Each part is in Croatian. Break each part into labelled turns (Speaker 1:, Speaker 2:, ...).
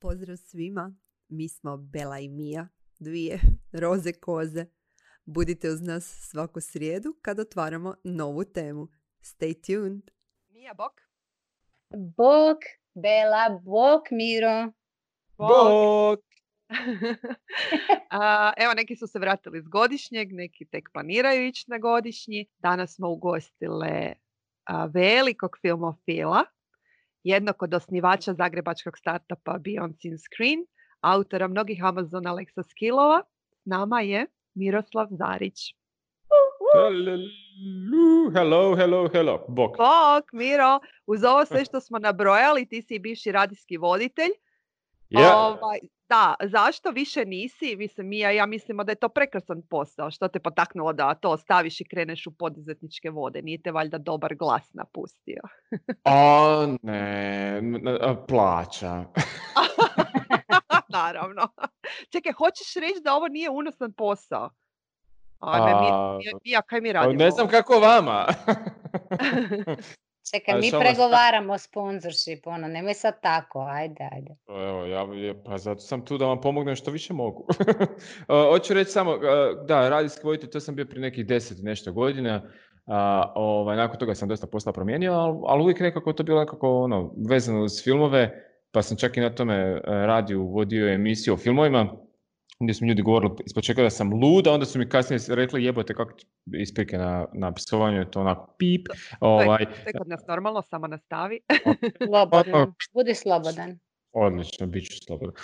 Speaker 1: Pozdrav svima, mi smo Bela i Mija, dvije roze koze. Budite uz nas svaku srijedu kad otvaramo novu temu. Stay tuned.
Speaker 2: Mija, bok.
Speaker 3: Bok, Bela, bok, Miro.
Speaker 2: Bok. Evo, neki su se vratili s godišnjeg, neki tek planiraju ići na godišnji. Danas smo ugostile velikog filmofila, jednog od osnivača zagrebačkog startupa Beyond Scene Screen, autora mnogih Amazon Alexa skillova. S nama je Miroslav Zarić.
Speaker 4: Hello, bok.
Speaker 2: Bok, Miro, uz ovo sve što smo nabrojali, ti si bivši radijski voditelj.
Speaker 4: Yeah.
Speaker 2: Da, zašto više nisi? Mislim, ja mislimo da je to prekrasan posao. Što te potaknulo da to ostaviš i kreneš u poduzetničke vode? Nije te valjda dobar glas napustio?
Speaker 4: Ne, plaća.
Speaker 2: Naravno. Čekaj, hoćeš reći da ovo nije unosan posao? Mija, kaj mi radimo?
Speaker 4: Ne znam kako vama.
Speaker 3: Čekaj, mi pregovaramo sponsorship, nemoj sad tako, ajde.
Speaker 4: Evo, pa zato sam tu da vam pomognem što više mogu. Hoću reći samo, da, radijski voditelj, to sam bio prije nekih 10 i nešto godina. Nakon toga sam dosta posla promijenio, ali uvijek nekako to bilo nekako vezano uz filmove, pa sam čak i na tome radiju vodio emisiju o filmovima, gdje su mi ljudi govorili ispočetka da sam lud, a onda su mi kasnije rekli jebote kako isprike na psovanju, to onako pip.
Speaker 2: To je kod nas normalno, samo nastavi.
Speaker 3: Slobodan, budi slobodan.
Speaker 4: Odlično, bit ću slobodan.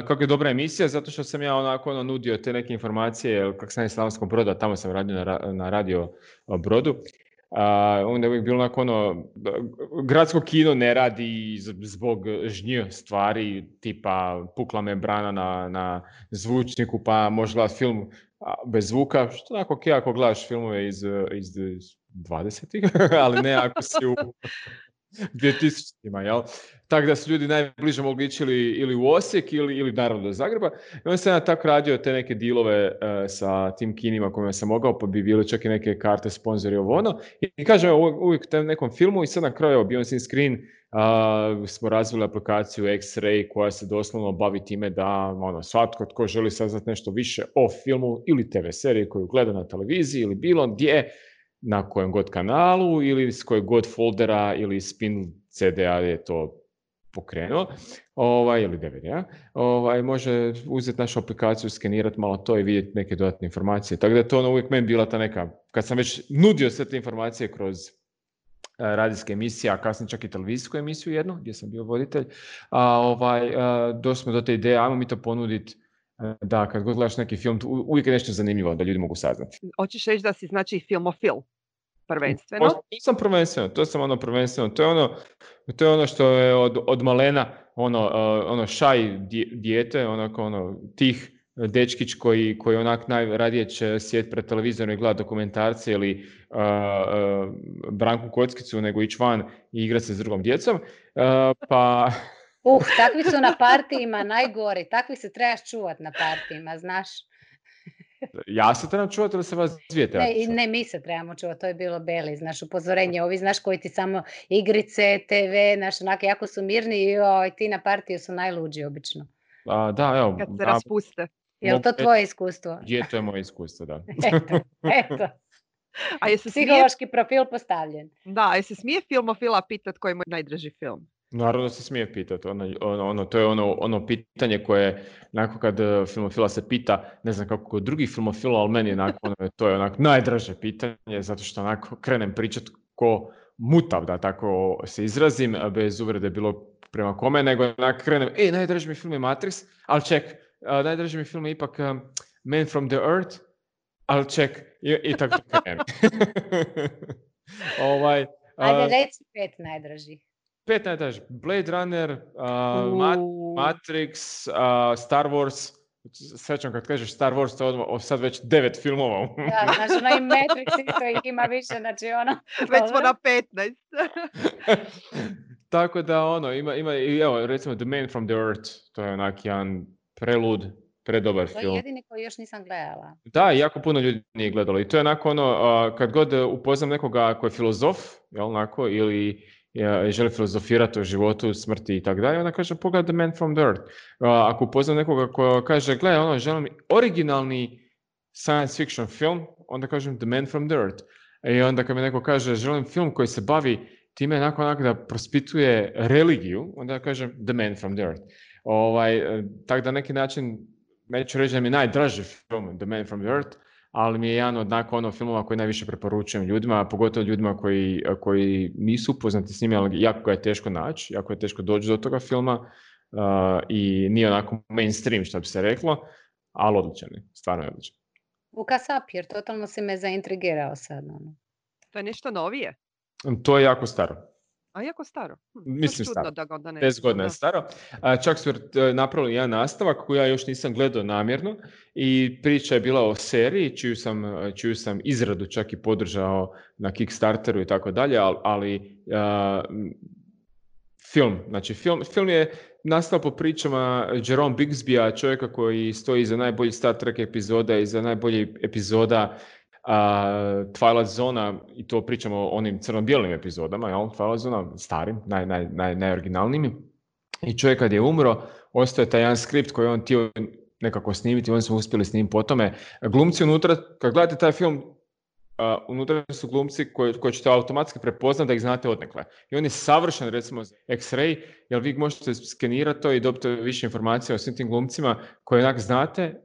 Speaker 4: Kako je dobra emisija, zato što sam ja onako nudio te neke informacije, kako sam je Slavonskog Broda, tamo sam radio na radio Brodu. Onda je uvijek bilo onako gradsko kino ne radi zbog žnj stvari, tipa pukla membrana na zvučniku, pa možeš gledati film bez zvuka, što onako ok, ako gledaš filmove iz 20-ih, ali ne ako si u 2000-ima, jel? Tako da su ljudi najbliže mogli ići ili u Osijek ili naravno do Zagreba. I onda sam ja tako radio te neke dealove sa tim kinima kojima sam mogao, pa bi bili čak i neke karte, sponzori, I kažem, uvijek u nekom filmu i sad na kraju Beyond Scene Screen smo razvili aplikaciju X-Ray koja se doslovno bavi time da svatko tko želi saznati nešto više o filmu ili TV seriji koju gleda na televiziji ili bilo gdje, na kojem god kanalu ili s kojeg god foldera ili spin CD-a je to pokrenuo, ili DVD-a, može uzeti našu aplikaciju, skenirati malo to i vidjeti neke dodatne informacije. Tako da je to uvijek meni bila ta neka, kad sam već nudio sve te informacije kroz radijske emisije, a kasnije čak i televizijsku emisiju jednu, gdje sam bio voditelj, došli smo do te ideje, ajmo mi to ponuditi, da kad god gledaš neki film, uvijek je nešto zanimljivo da ljudi mogu saznati.
Speaker 2: Hoćeš reći da si znači filmofil? Prvenstveno?
Speaker 4: To sam prvenstveno. To je ono što je od malena, šaj dijete, tih dečkić koji onak najradije će sjeti pred televizorom i gledati dokumentarce ili Branku Kockicu nego ići van i igrati se s drugom djecom.
Speaker 3: Takvi su na partijima najgori, takvi se trebaš čuvat na partijima, znaš.
Speaker 4: Ja se trebam čuvati ili se vas dvije trebate čuvati?
Speaker 3: Ne, mi se trebamo čuvati, to je bilo Beli, znaš, upozorenje, ovi znaš koji ti samo igrice, TV, znaš, onako jako su mirni i ti na partiju su najluđi obično.
Speaker 4: Da, evo.
Speaker 2: Kad se raspuste.
Speaker 3: Je li to tvoje iskustvo?
Speaker 4: To je moje iskustvo, da.
Speaker 3: Eto.
Speaker 2: A
Speaker 3: psihološki profil postavljen.
Speaker 2: Da, a se smije filmofila pitat koji je moj najdraži film?
Speaker 4: Naravno da se smije pitati. To je ono pitanje koje, nakon kad filmofila se pita, ne znam kako kod drugih filmofila, ali meni to je onako najdraže pitanje, zato što onako krenem pričati ko mutav, da tako se izrazim, bez uvrede bilo prema kome, nego onako krenem, najdraži mi film je Matrix, ali ček, najdraži mi film je ipak Man from the Earth, ali ček, i tako krenem.
Speaker 3: Ajde, reci 5 najdražih.
Speaker 4: 5 najdražih. Blade Runner, Matrix, Star Wars. Srećom kad kažeš Star Wars, to je sad već 9 filmova.
Speaker 3: Da, znači i Matrix isto ih ima više, znači
Speaker 2: Već smo na 15.
Speaker 4: Tako da ima evo recimo The Man from the Earth, to je onak jedan predobar film.
Speaker 3: To je jedini koji još nisam gledala.
Speaker 4: Da, jako puno ljudi nije gledalo i to je onako kad god upoznam nekoga ko je filozof, jel, onako, želi filozofirati o životu, smrti i tako dalje, onda kaže pogledaj The Man from the Earth. Ako upoznam nekoga ko kaže gledaj, želim originalni science fiction film, onda kažem The Man from the Earth. I onda kad mi neko kaže želim film koji se bavi time onako da prospituje religiju, onda ja kažem The Man from the Earth. Tako da neki način, neću reći da mi je najdraži film The Man from the Earth, ali mi je jedan od filmova koji najviše preporučujem ljudima, pogotovo ljudima koji nisu upoznati s njim, ali jako ga je teško naći, jako je teško doći do toga filma i nije onako mainstream, što bi se reklo, ali odličan je, stvarno je odličan.
Speaker 3: Vuka Sapir, totalno si me zaintrigirao sad.
Speaker 2: To je nešto novije?
Speaker 4: To je jako staro.
Speaker 2: A jako staro?
Speaker 4: Mislim staro.
Speaker 2: 10
Speaker 4: godina je staro. Čak su napravili jedan nastavak koji ja još nisam gledao namjerno i priča je bila o seriji čiju sam izradu čak i podržao na Kickstarteru i tako dalje, ali film je nastao po pričama Jerome Bixbya, čovjeka koji stoji iza najboljih Star Trek epizoda i za najboljih epizoda Twilight Zona, i to pričamo o onim crno-bijelim epizodama, Twilight Zona, starim, najoriginalnijim. I čovjek kad je umro, ostao je taj jedan skript koji on htio nekako snimiti, oni su uspjeli snimiti po tome. Glumci unutra, kad gledate taj film, unutra su glumci koji ćete automatski prepoznati da ih znate odnekle. I on je savršen, recimo, X-ray, jer vi možete skenirati to i dobiti više informacija o svim tim glumcima koje onak znate,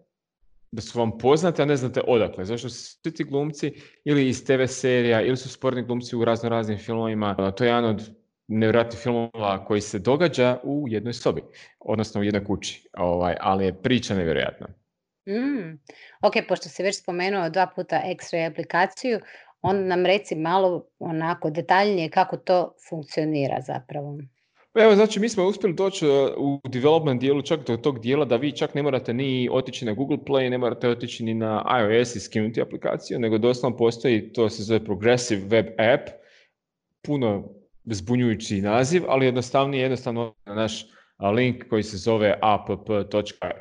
Speaker 4: da su vam poznate, a ne znate odakle. Zašto su svi ti glumci ili iz TV serija, ili su sporni glumci u raznim filmovima. To je jedan od nevjerojatnih filmova koji se događa u jednoj sobi, odnosno u jednoj kući, ali je priča nevjerojatna.
Speaker 3: Ok, pošto si već spomenuo 2 puta X-ray aplikaciju, onda nam reci malo onako detaljnije kako to funkcionira zapravo.
Speaker 4: Evo, znači mi smo uspjeli doći u development dijelu čak do tog dijela da vi čak ne morate ni otići na Google Play, ne morate otići ni na iOS i skinuti aplikaciju, nego doslovno postoji, to se zove Progressive Web App, puno zbunjujući naziv, ali jednostavno na naš link koji se zove app.xray.tv.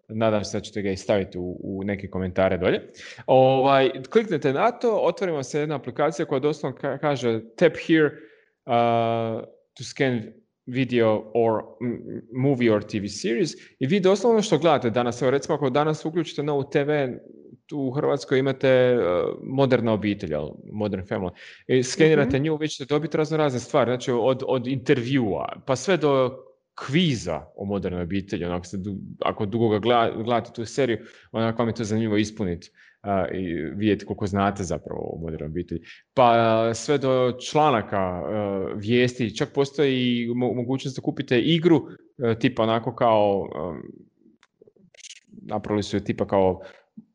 Speaker 4: Nadam se da ćete ga i staviti u neke komentare dolje. Kliknete na to, otvorimo se jedna aplikacija koja doslovno kaže tap here to scan video or movie or TV series, i vi doslovno što gledate danas, evo recimo ako danas uključite novu TV, tu u Hrvatskoj imate Moderna obitelj, Modern Family, i skenirate nju, vi ćete dobiti razne stvari, znači od intervjua pa sve do kviza o Modernoj obitelji, ako dugo gledate tu seriju, onako vam je to zanimljivo ispuniti i vidjeti koliko znate zapravo o Modernoj obitelji. Pa sve do članaka, vijesti, čak postoji mogućnost da kupite igru tipa onako kao, napravili su je tipa kao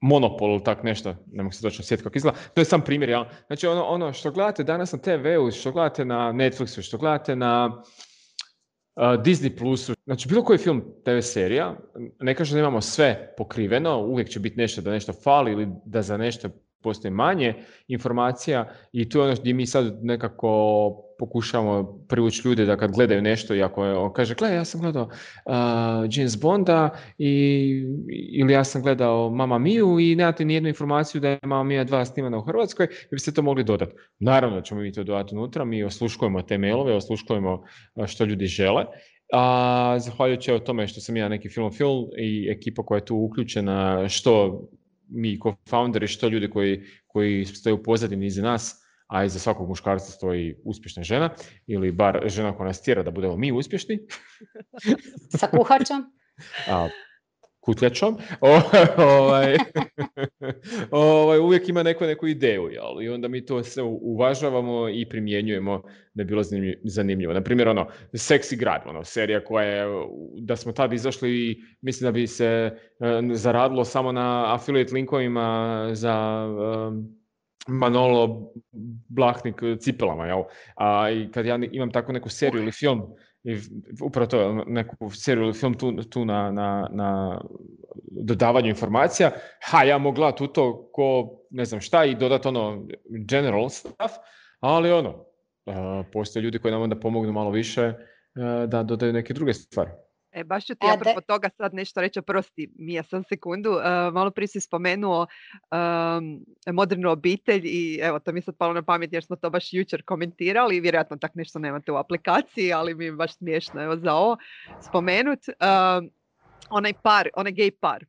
Speaker 4: Monopol ili tak nešto, ne mogu se točno sjetiti kako izgleda. To je sam primjer, jel? Znači ono što gledate danas na TV-u, što gledate na Netflixu, što gledate na Disney Plusu, znači bilo koji film, TV serija, ne kažem da imamo sve pokriveno, uvijek će biti nešto da nešto fali ili da za nešto postoji manje informacija, i to je ono gdje mi sad nekako pokušavamo privući ljude da kad gledaju nešto i ako kaže gledaj, ja sam gledao James Bonda ili ja sam gledao Mamma Miju i nemate nijednu informaciju da je Mamma Mia 2 snimana u Hrvatskoj, vi biste to mogli dodati. Naravno da ćemo mi to dodati unutra, mi osluškujemo te mailove, osluškujemo što ljudi žele. Zahvaljujući o tome što sam ja neki film i ekipa koja je tu uključena, što mi co-founderi, što ljudi koji stoje u pozadini iza nas, a iza svakog muškarca stoji uspješna žena, ili bar žena koja nas tjera da budemo mi uspješni.
Speaker 3: Sa kuhačom?
Speaker 4: Kutljačom. Uvijek ima neku ideju, jel? I onda mi to sve uvažavamo i primjenjujemo da je bilo zanimljivo. Naprimjer, Sexy Grad, serija koja je, da smo tad izašli, mislim da bi se zaradilo samo na affiliate linkovima za Manolo Blahnik cipelama, jel? I kad ja imam tako neku seriju ili film, i upravo to, neku seriju ili film tu na dodavanju informacija, ja mogu gledati u to ko ne znam šta i dodati general stuff, ali postoje ljudi koji nam onda pomognu malo više da dodaju neke druge stvari.
Speaker 2: Baš ću ti apropo toga sad nešto reći, oprosti Mija, sam sekundu. Malo prije si spomenuo Modernu obitelj i evo, to mi je sad palo na pamet jer smo to baš jučer komentirali, vjerojatno tak nešto nemate u aplikaciji, ali mi je baš smiješno evo za ovo spomenut. Onaj gej par.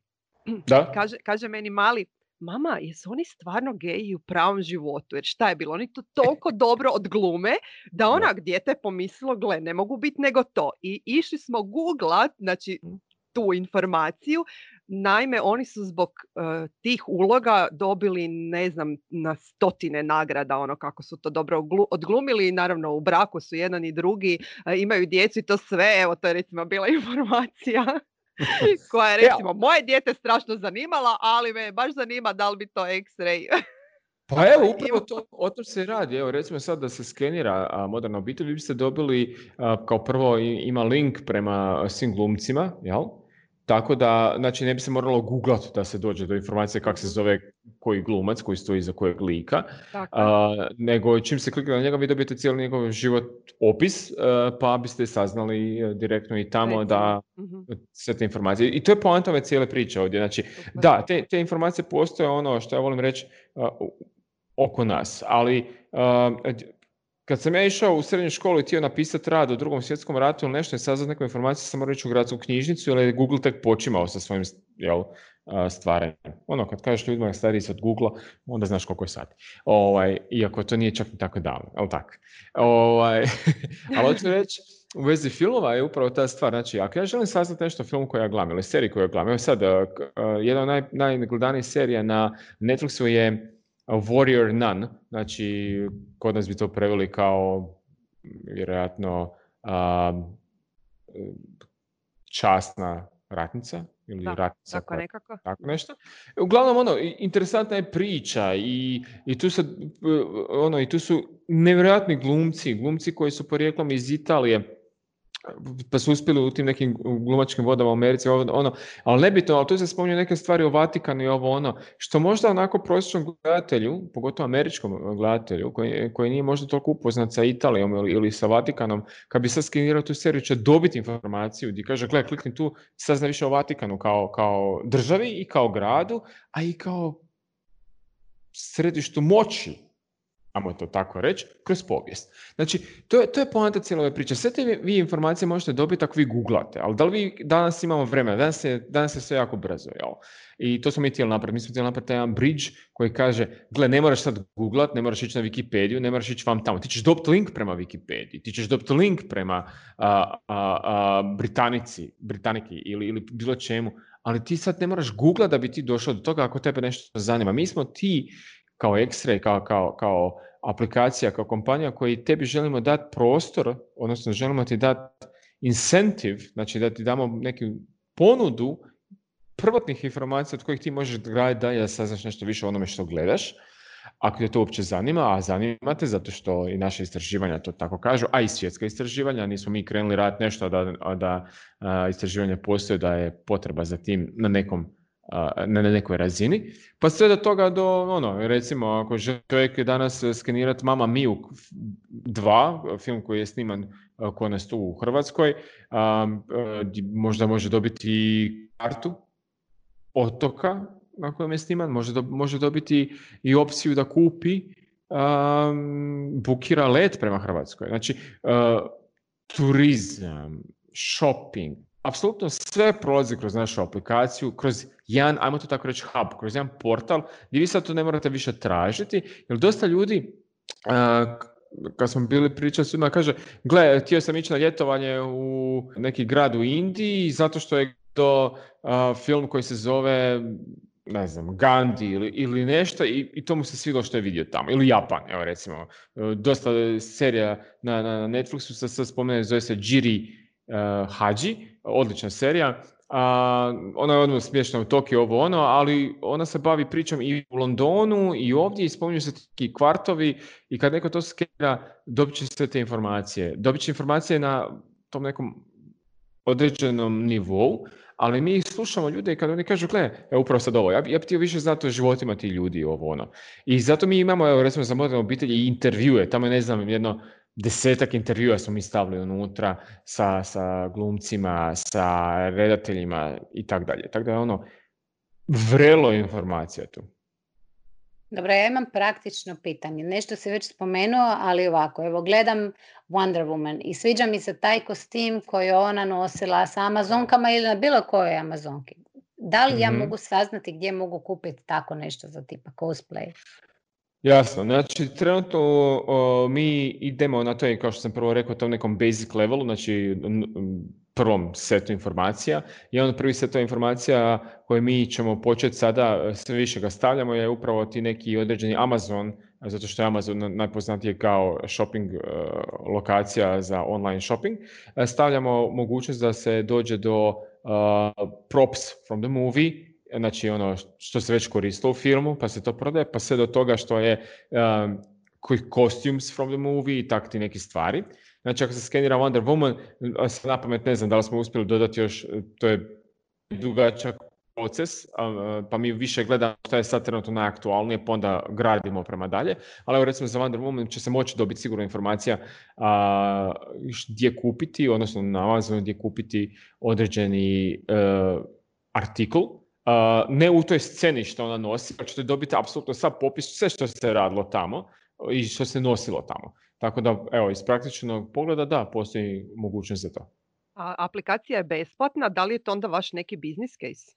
Speaker 4: Da?
Speaker 2: Kaže meni mali, mama, jesu oni stvarno geji u pravom životu? Jer šta je bilo? Oni to toliko dobro odglume da onak dijete je pomislilo, gle, ne mogu biti nego to. I išli smo googlat, znači, tu informaciju. Naime, oni su zbog tih uloga dobili, ne znam, na stotine nagrada, ono kako su to dobro odglumili. Naravno, u braku su jedan i drugi, imaju djecu i to sve. Evo, to je recimo bila informacija koja je recimo moje dijete strašno zanimala, ali me baš zanima da li bi to X-ray.
Speaker 4: Pa evo, upravo to, o tom se radi. Evo, recimo sad da se skenira Moderna obitelj, vi biste dobili, kao prvo ima link prema svim glumcima, jel? Tako da, znači, ne bi se moralo googlati da se dođe do informacije kako se zove koji glumac, koji stoji iza kojeg lika, nego čim se klikne na njega, vi dobijete cijeli njegov život opis, pa biste saznali direktno i tamo da sve te informacije. I to je poanta ove cijele priče ovdje. Znači, da, te informacije postoje, ono što ja volim reći, oko nas, ali kad sam ja išao u srednju školu i htio napisati rad o Drugom svjetskom ratu ili nešto i saznati neku informaciju, sam morao ići u gradsku knjižnicu, jer je Google tek počimao sa svojim stvaranjem. Ono, kad kažeš ljudima stariji se od Google, onda znaš koliko je sati. Iako to nije čak i tako davno, ali tako. Ali hoću reći, u vezi filmova je upravo ta stvar. Znači, ako ja želim saznati nešto o filmu koji ja gledam ili seriji koju ja gledam, evo sad, jedna od najgledanijih serija na Netflixu je Warrior Nun, znači kod nas bi to preveli kao vjerojatno časna ratnica ili ratnica,
Speaker 2: tako nekako.
Speaker 4: Tako nešto. Uglavnom, interesantna je priča i tu su nevjerojatni glumci koji su porijeklom iz Italije, pa su uspjeli u tim nekim glumačkim vodama u Americi, ali nebitno, ali tu se spominju neke stvari o Vatikanu i što možda onako prosječnom gledatelju, pogotovo američkom gledatelju, koji nije možda toliko upoznat sa Italijom ili sa Vatikanom, kad bi sad skenirao tu seriju, će dobiti informaciju gdje kaže, gledaj, klikni tu, sazna više o Vatikanu kao državi i kao gradu, a i kao središtu moći, ajmo to tako reći, kroz povijest. Znači, to je poanta cijele ove priče. Sve te vi informacije možete dobiti ako vi googlate, ali da li vi danas imamo vremena? Danas je sve jako brzo, jel? I to smo mi htjeli napraviti. Mi smo htjeli napraviti jedan bridge koji kaže, gle, ne moraš sad googlat, ne moraš ići na Wikipediju, ne moraš ići vam tamo. Ti ćeš dobiti link prema Wikipediji, ti ćeš dobiti link prema Britaniki ili bilo čemu, ali ti sad ne moraš googlat da bi ti došao do toga ako tebe nešto zanima. Mi smo ti kao X-Ray, kao aplikacija, kao kompanija koji tebi želimo dati prostor, odnosno želimo ti dati incentive, znači da ti damo neku ponudu prvotnih informacija od kojih ti možeš graditi dalje da saznaš nešto više o onome što gledaš, ako te to uopće zanima, a zanima te zato što i naše istraživanja to tako kažu, a i svjetska istraživanja, nismo mi krenuli raditi nešto da istraživanje postoje, da je potreba za tim na nekoj razini, pa sve do toga recimo, ako želi čovjek danas skenirati Mama Miju 2, film koji je sniman kod nas tu u Hrvatskoj, možda može dobiti kartu otoka na kojem je sniman, može dobiti i opciju da kupi, bukira let prema Hrvatskoj. Znači, turizam, shopping, apsolutno sve prolazi kroz našu aplikaciju, kroz jedan, ajmo to tako reći, hub, kroz jedan portal, gdje vi sad to ne morate više tražiti, jer dosta ljudi, kad smo bili pričali s ljudima, kaže, gle, htio sam ići na ljetovanje u neki grad u Indiji, zato što je to film koji se zove, ne znam, Gandhi ili nešto i to mu se svidjelo što je vidio tamo. Ili Japan, evo recimo. Dosta serija na Netflixu se spomenuje, zove se Jiri Haji, odlična serija. Ona je odmah smiješna u Tokiju, ali ona se bavi pričom i u Londonu i ovdje i spominju se taki kvartovi i kad neko to skenira, dobit će sve te informacije. Dobit će informacije na tom nekom određenom nivou, ali mi slušamo ljude i kad oni kažu, gle, upravo sad ovo, ja bih htio više znati o životima tih ljudi, I zato mi imamo, recimo za Moderne obitelji, i intervjue, tamo je, ne znam, jedno 10-ak intervjua smo mi stavili unutra sa glumcima, sa redateljima i tako dalje. Tako da je ono vrelo informacija tu.
Speaker 3: Dobro, ja imam praktično pitanje. Nešto si već spomenuo, ali ovako. Evo, gledam Wonder Woman i sviđa mi se taj kostim koji je ona nosila sa Amazonkama ili na bilo kojoj Amazonki. Da li ja mogu saznati gdje mogu kupiti tako nešto za tipa cosplay?
Speaker 4: Jasno, znači trenutno mi idemo na to, kao što sam prvo rekao, tom nekom basic levelu, znači prvom setu informacija. I on prvi set informacija koje mi ćemo početi sada, sve više ga stavljamo, je upravo ti neki određeni Amazon, zato što je Amazon najpoznatiji kao shopping lokacija za online shopping. Stavljamo mogućnost da se dođe do props from the movie, znači ono što se već koristilo u filmu, pa se to prodaje, pa sve do toga što je costumes from the movie i tak ti neki stvari. Znači ako se skenira Wonder Woman, napamet ne znam da li smo uspjeli dodati još, to je dugačak proces, pa mi više gledamo što je sad trenutno najaktualnije, pa onda gradimo prema dalje. Ali evo recimo za Wonder Woman će se moći dobiti sigurno informacija gdje kupiti, odnosno na Amazonu gdje kupiti određeni artikl. Ne u toj sceni što ona nosi, pa ćete dobiti apsolutno sav popis, sve što se radilo tamo i što se nosilo tamo. Tako da, evo, iz praktičnog pogleda, da, postoji mogućnost za to.
Speaker 2: A aplikacija je besplatna, da li je to onda vaš neki business case?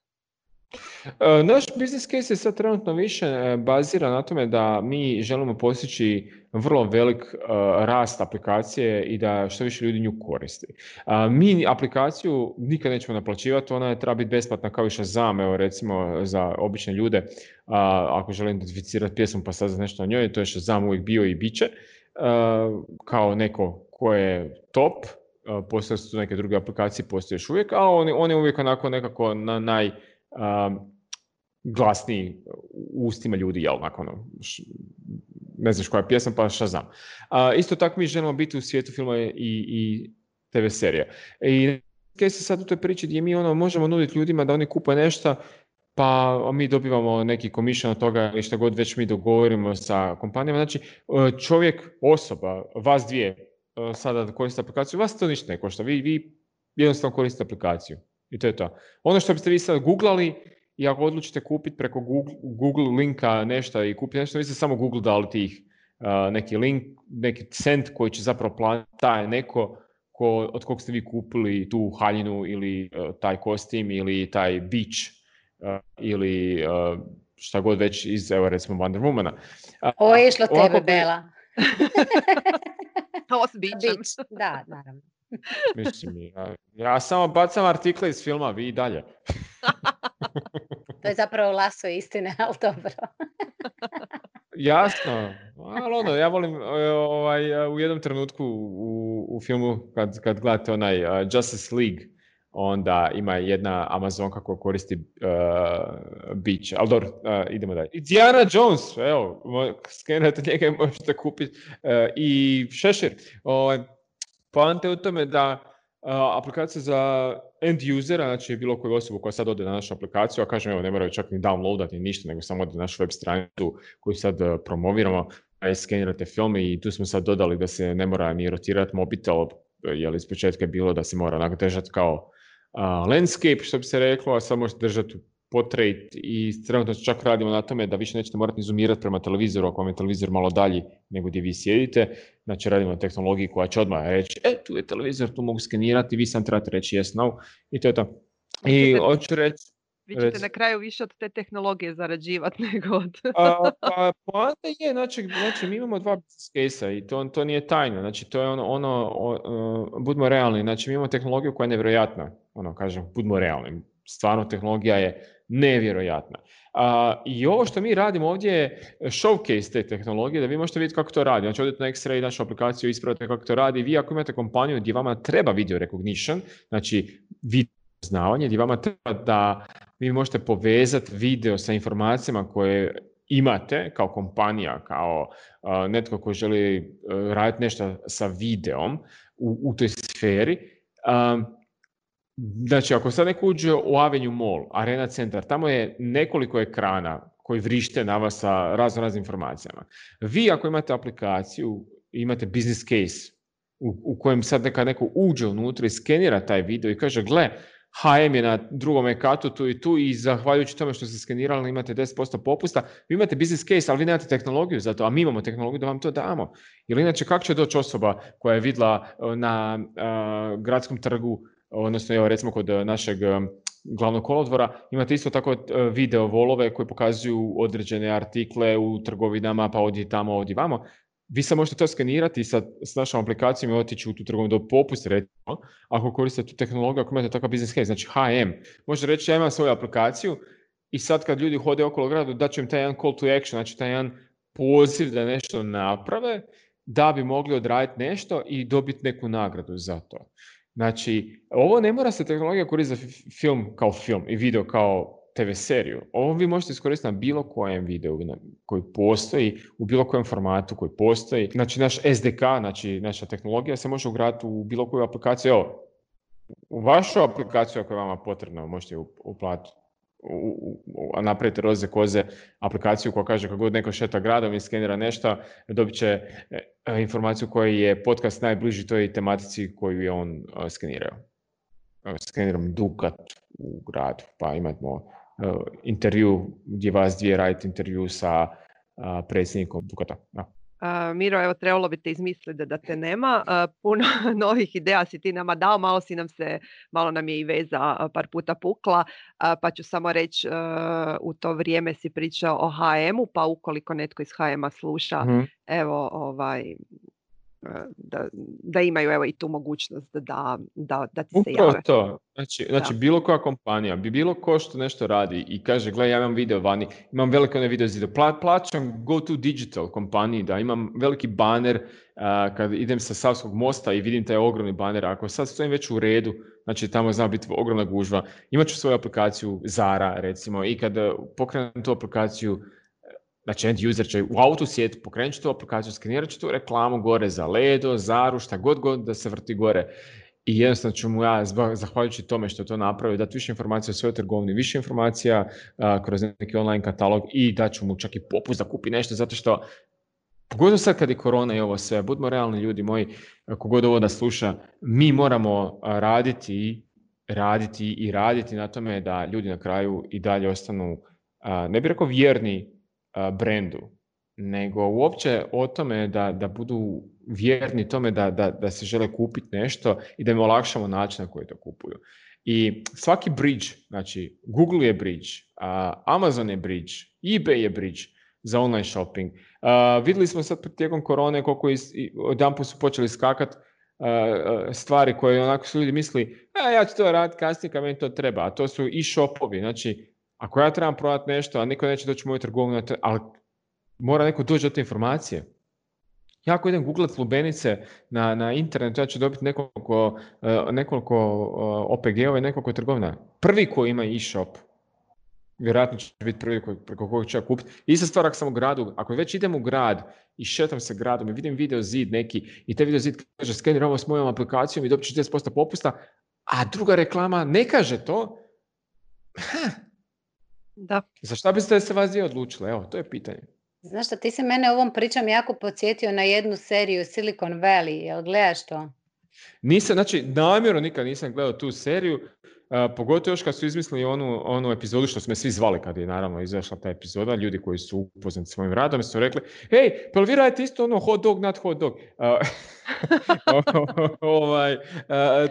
Speaker 4: Naš business case je sad trenutno više bazira na tome da mi želimo postići vrlo velik rast aplikacije i da što više ljudi nju koristi. Mi aplikaciju nikad nećemo naplaćivati, ona treba biti besplatna kao i Shazam, evo recimo za obične ljude, ako žele identificirati pjesmu pa sad za nešto o njoj, to je Shazam uvijek bio i bit će, kao neko ko je top, postoje su neke druge aplikacije, postoje još uvijek, a on je uvijek onako nekako na glasniji u ustima ljudi, jel, nakon ne znaš koja je pjesma, pa Shazam. Isto tako mi želimo biti u svijetu filma i TV serije. I kaj se sad u toj priči gdje mi možemo nuditi ljudima da oni kupe nešto, pa mi dobivamo neki commission od toga ili šta god već mi dogovorimo sa kompanijama. Znači, čovjek, osoba, vas dvije, sada koristite aplikaciju, vas to ništa ne košta. Vi jednostavno koristite aplikaciju. I to je to. Ono što biste vi sad googlali, i ako odlučite kupiti preko Google linka nešto i kupiti nešto, vi ste samo Google dali tih neki link, neki cent koji će zapravo platiti taj neko od kog ste vi kupili tu haljinu ili taj kostim ili taj beach ili šta god već iz, evo recimo, Wonder Womana.
Speaker 3: Ovo je išlo tebe, Bela.
Speaker 2: Ovo s beachem.
Speaker 3: Da, naravno.
Speaker 4: Mislim, ja samo bacam artikle iz filma, vi i dalje.
Speaker 3: To je zapravo laso istine, ali dobro.
Speaker 4: Jasno, ali ja volim u jednom trenutku u filmu kad gledate onaj Justice League, onda ima jedna Amazonka koja koristi beach, ali dobro, idemo dalje. Indiana Jones, evo, skenirate njega i možete kupiti i šešir. Poanta u tome da aplikacija za end usera, znači bilo koju osobu koja sad ode na našu aplikaciju, a kažem, evo, ne moraju čak ni downloadati ni ništa, nego samo ode na našu web stranicu koju sad promoviramo, skenirate film i tu smo sad dodali da se ne mora ni rotirati mobitel, jer iz početka je bilo da se mora onako držati kao landscape, što bi se reklo, a sad možete držati portrait i trenutno čak radimo na tome da više nećete morati zoomirati prema televizoru ako vam je televizor malo dalji nego gdje vi sjedite. Znači radimo na tehnologiji koja će odmah reći tu je televizor, tu mogu skenirati, vi sam trebate reći yes, no i to je to. I hoću reći...
Speaker 2: Vi ćete na kraju više od te tehnologije zarađivati nego od...
Speaker 4: Poanta je, znači mi imamo dva business case-a i to nije tajno, znači to je budimo realni, znači mi imamo tehnologiju koja je nevjerojatna, kažem, budimo realni, stvarno tehnologija je nevjerojatna. I ovo što mi radimo ovdje je showcase te tehnologije, da vi možete vidjeti kako to radi. Znači odete na X-Ray, našu aplikaciju, ispravite kako to radi. Vi ako imate kompaniju gdje vama treba video recognition, znači video poznavanje, gdje vama treba da vi možete povezati video sa informacijama koje imate kao kompanija, kao netko koji želi raditi nešto sa videom u toj sferi. Znači, ako sad neko uđe u Avenue Mall, Arena Centar, tamo je nekoliko ekrana koji vrište na vas sa raznim informacijama. Vi ako imate aplikaciju imate business case u kojem sad neko uđe unutra i skenira taj video i kaže, gle, H&M je na drugom katu tu i tu i zahvaljujući tome što ste skenirali imate 10% popusta, vi imate business case, ali vi nemate tehnologiju za to, a mi imamo tehnologiju da vam to damo. Jer inače, kako će doći osoba koja je vidjela na gradskom trgu, odnosno evo recimo kod našeg glavnog kolodvora, imate isto tako video volove koji pokazuju određene artikle u trgovinama, pa ovdje tamo, ovdje vamo. Vi sad možete to skenirati i s našom aplikacijom i otići u tu trgovinu do popust, recimo, ako koristite tu tehnologiju, ako imate takav business case, znači H&M. Možete reći, ja imam svoju aplikaciju i sad kad ljudi hode okolo gradu, daću im taj jedan call to action, znači taj jedan poziv da nešto naprave, da bi mogli odraditi nešto i dobiti neku nagradu za to. Znači, ovo ne mora se tehnologija koristiti za film kao film i video kao TV seriju. Ovo vi možete iskoristiti na bilo kojem videu koji postoji, u bilo kojem formatu koji postoji. Znači, naš SDK, znači naša tehnologija se može ugraditi u bilo koju aplikaciju. Evo, u vašu aplikaciju ako je vama potrebno, možete ju uplatiti. Napravite Roze koze aplikaciju koja kaže kako god neko šeta gradom i skenira nešto, dobit će informaciju koji je podcast najbliži toj tematici koju je on skenirao. Skeniram Dukat u gradu, pa imamo intervju gdje vas dvije radite intervju sa predsjednikom Dukata.
Speaker 2: Miro, evo trebalo bi te izmisliti da te nema. Puno novih ideja si ti nama dao, malo nam je i veza par puta pukla, pa ću samo reći, u to vrijeme si pričao o H&M-u, pa ukoliko netko iz H&M-a sluša, evo, da imaju evo i tu mogućnost da ti se jave.
Speaker 4: To. Znači bilo koja kompanija, bilo ko što nešto radi i kaže, gle, ja imam video vani, imam velike one video zide, plaćam Go To Digital kompaniji, da imam veliki baner kad idem sa Savskog mosta i vidim taj ogromni baner, ako sad stojim već u redu, znači tamo zna biti ogromna gužva, imat ću svoju aplikaciju Zara recimo i kad pokrenem tu aplikaciju, znači end user će u autu sjeti, pokrenut ću tu aplikaciju, skenirat ću tu reklamu gore za Ledo, Zaru, šta god da se vrti gore. I jednostavno ću mu ja, zahvaljujući tome što je to napravio, dati više informacija o svojoj trgovini, više informacija kroz neki online katalog i daću mu čak i popust da kupi nešto, zato što pogotovo sad kad je korona i ovo sve, budimo realni ljudi moji, kogod ovo da sluša, mi moramo raditi na tome da ljudi na kraju i dalje ostanu, ne bih rekao vjerni brendu, nego uopće o tome da budu vjerni tome da se žele kupiti nešto i da im olakšamo način na koji to kupuju. I svaki bridge, znači Google je bridge, Amazon je bridge, eBay je bridge za online shopping. Vidjeli smo sad tijekom korone koliko odjedanput su počeli skakati stvari koje onako su ljudi misli, ja ću to raditi kasnije kad meni to treba, a to su i shopovi, znači ako ja trebam prodati nešto, a niko neće doći u moju trgovinu, ali mora neko doći do te informacije. Ja ako idem googlat lubenice na internetu, ja ću dobiti nekoliko OPG-ova i nekoliko trgovina. Prvi koji ima e-shop, vjerojatno će biti prvi preko kojeg ću ja kupiti. Ista stvar ako sam u gradu, ako već idem u grad i šetam se gradom i vidim video zid neki i taj video zid kaže skenir ovo s mojom aplikacijom i dobit ću 10% popusta, a druga reklama ne kaže to,
Speaker 2: da.
Speaker 4: Za šta biste se vas dvije odlučili? Evo, to je pitanje.
Speaker 3: Znaš što, ti se mene ovom pričom jako podsjetio na jednu seriju Silicon Valley, jel gledaš to?
Speaker 4: Nisam, znači namjerno nikad nisam gledao tu seriju, pogotovo još kad su izmislili onu epizodu što smo svi zvali kad je naravno izašla ta epizoda, ljudi koji su upoznati s mojim radom su rekli, hej, pa vi radite isto ono hot dog, not hot dog.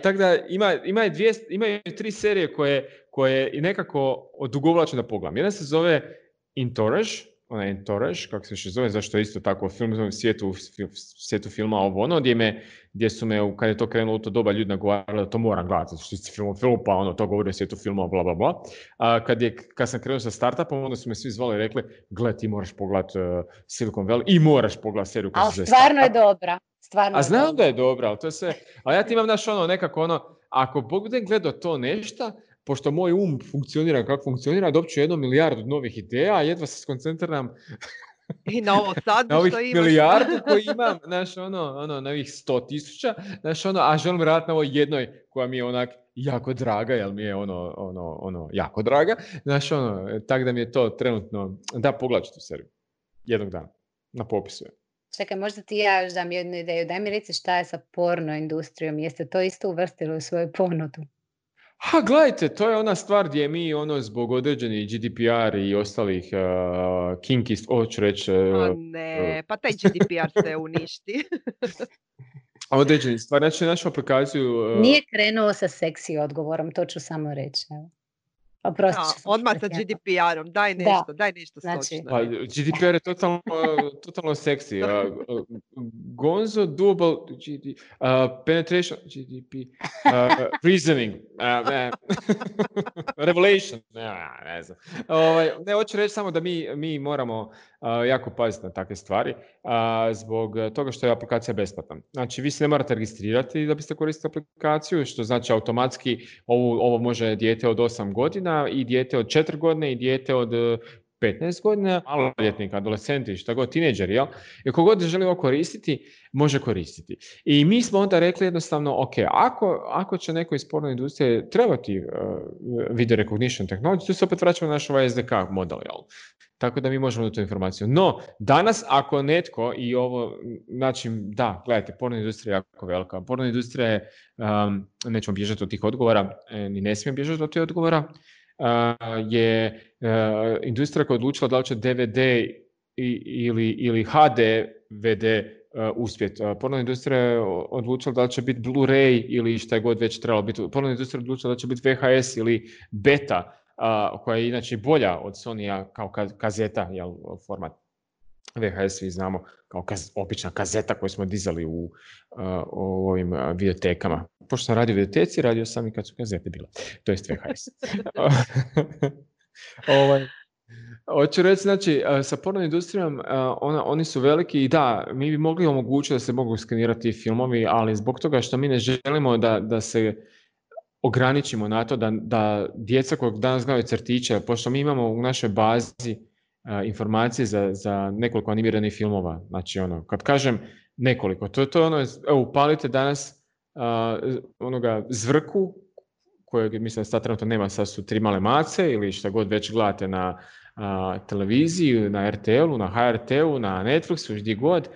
Speaker 4: Tako da imaju 3 serije koje i nekako odugovlače da pogledam. Jedna se zove Entourage, kako se još zove, zašto je isto tako u filmskom svijetu filma ovo ono, gdje su me, kad je to krenulo u to doba, ljudi nagovarali da to moram gledati, zato što si film, pa ono, to govori o svijetu filma, bla, bla, bla. Kad sam krenuo sa startupom, onda su me svi zvali i rekli, gle, ti moraš pogledati Silicon Valley i moraš pogledati seriju koja se zove Startup.
Speaker 3: Stvarno je dobra.
Speaker 4: A znam da je dobra, ali to je sve. Ali ja ti imam nekako ako budem gledao to nešto, pošto moj funkcionira kako funkcionira, dobit ću 1 milijardu novih ideja, a jedva se skoncentriram
Speaker 2: i na ovo sad
Speaker 4: na ovih
Speaker 2: što imaš.
Speaker 4: milijardu koji imam, na ovih 100,000, a želim raditi na ovoj jednoj koja mi je onak jako draga, jer mi je jako draga, tako da mi je to trenutno, da pogledat ću tu seriju, jednog dana, na popisu je.
Speaker 3: Čekaj, možda ti ja još dam jednu ideju. Daj mi reci šta je sa porno industrijom. Jeste to isto uvrstili u svoju ponudu?
Speaker 4: Ha, gledajte, to je ona stvar gdje mi zbog određenih GDPR i ostalih kinky, hoću reći...
Speaker 2: ne, pa taj GDPR se uništi.
Speaker 4: određenih stvari, znači našu aplikaciju...
Speaker 3: Nije krenuo sa seksi odgovorom, to ću samo reći. Oprosti.
Speaker 2: Odmah sa GDPR-om, daj nešto
Speaker 3: znači,
Speaker 2: stočno.
Speaker 4: Pa, GDPR je totalno seksi. Gonzo, doable, penetration, GDP, reasoning, revelation, ne znam. Ne, hoću reći samo da mi moramo jako paziti na takve stvari, zbog toga što je aplikacija besplatna. Znači, vi se ne morate registrirati da biste koristili aplikaciju, što znači automatski ovo može dijete od 8 godina i dijete od 4 godine i dijete od 15 godina, maloljetnik, adolescenti, šta god, tineđeri, jel? I ako god želi ovo koristiti, može koristiti. I mi smo onda rekli jednostavno, ok, ako će neko iz porno industrije trebati video recognition technology, tu se opet vraćamo na naš ovaj SDK model, jel? Tako da mi možemo do tu informaciju. No, danas ako netko i ovo, znači, da, gledajte, porno industrija je jako velika. Porno industrija je, nećemo bježati od tih odgovora, ni ne smijem bježati od tih odgovora, je industrija koja je odlučila da li će DVD ili HDVD uspjet. Porno industrija je odlučila da li će biti Blu-ray ili šta je god već trebalo biti. Porno industrija je odlučila da će biti VHS ili beta, koja je inače bolja od Sony-a kao kazeta, jel, format. VHS svi znamo kao obična kazeta koju smo dizali u ovim videotekama. Pošto sam radio u videoteci, radio sam i kad su kazete bile. To jest VHS. Hoću reći, znači, sa porno industrijom oni su veliki i da, mi bi mogli omogućiti da se mogu skenirati filmovi, ali zbog toga što mi ne želimo da se ograničimo na to da djeca kojeg danas gledaju crtiće, pošto mi imamo u našoj bazi informacije za nekoliko animiranih filmova. Znači, kad kažem nekoliko, to je evo, upalite danas onoga Zvrku, kojeg mislim da sad trenutno nema, sad su 3 male mace ili šta god već gledate na televiziji, na RTL-u, na HRT-u, na Netflixu, gdje god.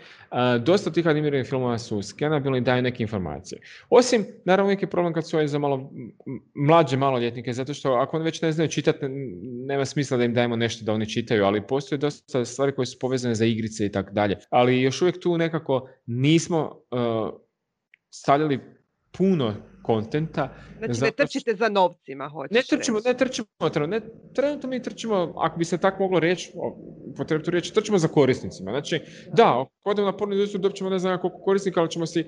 Speaker 4: Dosta tih animiranih filmova su skenabilni i daju neke informacije. Osim, naravno, neki problem kad su za malo mlađe maloljetnike, zato što ako oni već ne znaju čitati, nema smisla da im dajemo nešto da oni čitaju, ali postoje dosta stvari koje su povezane za igrice i tako dalje. Ali još uvijek tu nekako nismo stavljali puno kontenta.
Speaker 2: Znači ne trčite za novcima, hoćeš
Speaker 4: trenutno mi trčimo, ako bi se tako moglo reći, potrebno reći, trčimo za korisnicima. Znači, da, ako odemo na porno industriju, dobit ćemo ne znam koliko korisnika, ali ćemo si,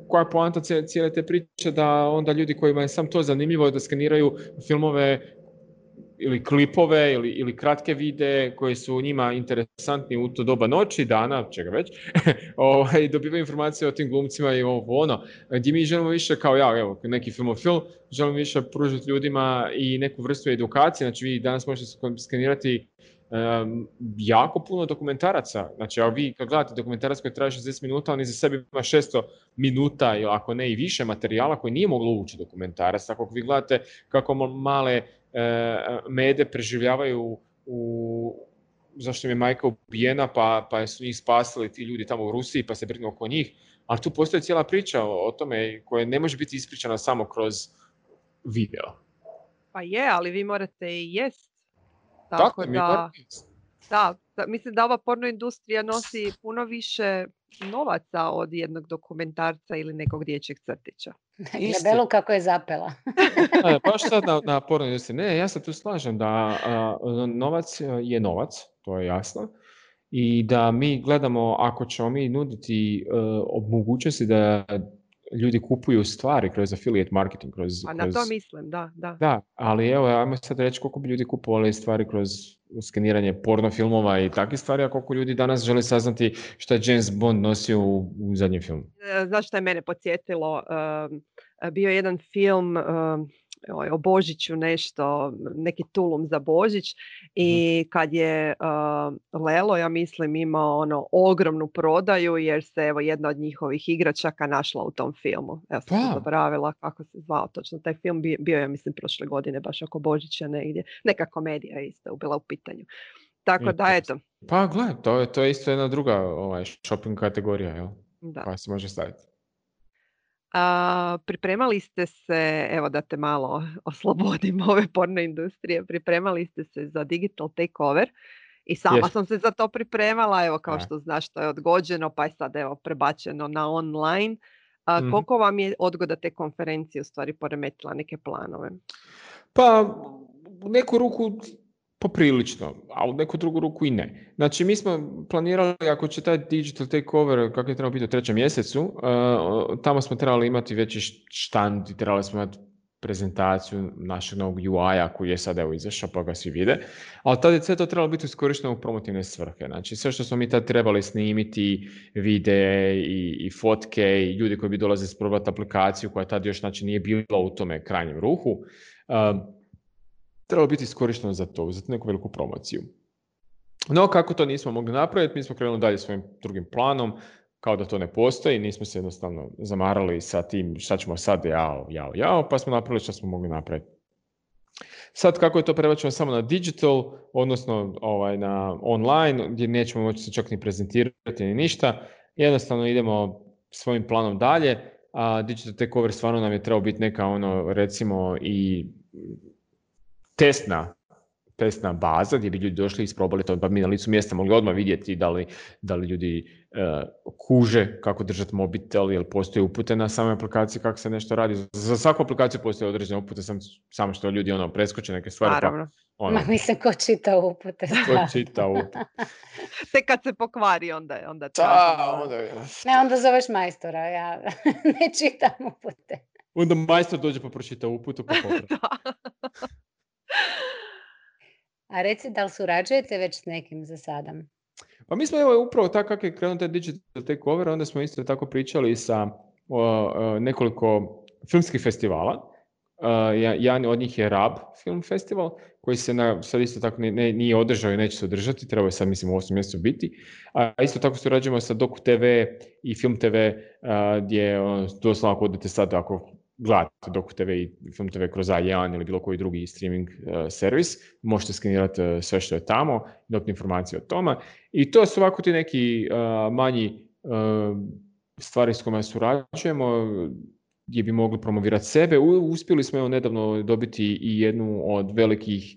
Speaker 4: koja je poanta cijele te priče, da onda ljudi kojima je sam to zanimljivo da skeniraju filmove ili klipove ili kratke videe koji su njima interesantni u to doba noći, dana, čega već, dobivaju informacije o tim glumcima i gdje mi želimo više kao evo, neki film, želimo više pružiti ljudima i neku vrstu edukacije. Znači, vi danas možete skenirati jako puno dokumentaraca. Znači, vi kad gledate dokumentarac koji traje 60 minuta, on iza sebe ima 600 minuta, ili ako ne i više materijala koji nije moglo ući dokumentarac. Tako vi gledate kako male mede preživljavaju zašto im je majka ubijena, pa su njih spasili ti ljudi tamo u Rusiji, pa se brinu oko njih. Ali tu postoji cijela priča o tome koja ne može biti ispričana samo kroz video.
Speaker 2: Pa je, ali vi morate i jest.
Speaker 4: Tako da,
Speaker 2: mislim da ova porno industrija nosi puno više novaca od jednog dokumentarca ili nekog dječjeg crtića.
Speaker 3: Belu kako je zapela.
Speaker 4: Baš sad na porno industriji. Ne, ja se tu slažem da novac je novac, to je jasno. I da mi gledamo, ako ćemo mi nuditi mogućnosti da ljudi kupuju stvari kroz affiliate marketing.
Speaker 2: Na to mislim, da.
Speaker 4: Da, ali evo, ajmo sad reći koliko bi ljudi kupovali stvari kroz skeniranje porno filmova i takve stvari, a koliko ljudi danas žele saznati što je James Bond nosio u zadnjem filmu.
Speaker 2: Znaš što je mene podsjetilo? Bio je jedan film o Božiću nešto, neki tulum za Božić i kad je Lelo, ja mislim, imao ogromnu prodaju jer se jedna od njihovih igračaka našla u tom filmu. Ja sam se zaboravila kako se zvao točno taj film, bio je, mislim, prošle godine baš oko Božića negdje. Neka komedija isto bila u pitanju. Tako da, eto.
Speaker 4: Pa gledaj, to je isto jedna druga shopping kategorija, jel?
Speaker 2: Da.
Speaker 4: Koja se može staviti.
Speaker 2: Pripremali ste se, evo da te malo oslobodim ove porno industrije, pripremali ste se za digital takeover i sama sam se za to pripremala, evo kao što znaš to je odgođeno pa je sad evo prebačeno na online. Koliko vam je odgoda te konferencije u stvari poremetila neke planove?
Speaker 4: Pa u neku ruku poprilično, a u neku drugu ruku i ne. Znači, mi smo planirali, ako će taj digital takeover, kako je trebalo biti u 3. mjesecu, tamo smo trebali imati veći štand i trebali smo imati prezentaciju našeg novog UI-a koji je sad evo izašao pa ga svi vide, ali tada je sve to trebalo biti iskorišteno u promotivne svrhe. Znači, sve što smo mi tad trebali snimiti, videe i fotke i ljudi koji bi dolazili isprobati aplikaciju koja tad još znači nije bila u tome krajnjem ruhu, trebalo biti iskorišteno za to, za neku veliku promociju. No, kako to nismo mogli napraviti, mi smo krenuli dalje svojim drugim planom, kao da to ne postoji, nismo se jednostavno zamarali sa tim šta ćemo sad, jao, pa smo napravili što smo mogli napraviti. Sad, kako je to prebačeno samo na digital, odnosno na online, gdje nećemo moći se čak ni prezentirati ni ništa, jednostavno idemo svojim planom dalje, a digital takeover stvarno nam je trebao biti neka recimo i testna baza gdje bi ljudi došli i isprobali to, pa mi na licu mjesta mogli odmah vidjeti da li ljudi kuže kako držati mobitel, jel postoje upute na samoj aplikaciji kako se nešto radi. Za svaku aplikaciju postoje određene upute, samo što ljudi preskoče neke stvari.
Speaker 2: Naravno.
Speaker 3: Ma mislim, ko čita upute?
Speaker 2: Tek kad se pokvari, onda
Speaker 3: Ne, onda zoveš majstora, ja ne čitam upute.
Speaker 4: Onda majstor dođe pa pročita uputu pa popravi.
Speaker 3: A reci, da li surađujete već s nekim za sada?
Speaker 4: Pa mi smo upravo tako kako je krenuo taj digital takeover, onda smo isto tako pričali sa nekoliko filmskih festivala. Jedan od njih je RAB Film Festival, koji se sad isto tako nije održao i neće se održati, treba je sad mislim u 8. mjesecu biti. A isto tako surađujemo sa Doku TV i Film TV, gdje doslovno ako odete sad, ako gledate Doku TV i Film TV kroz A1 ili bilo koji drugi streaming servis, možete skenirati sve što je tamo, dobiti informacije o tome. I to su ovako ti neki manji stvari s kojima surađujemo, gdje bi mogli promovirati sebe. Uspjeli smo nedavno dobiti i jednu od velikih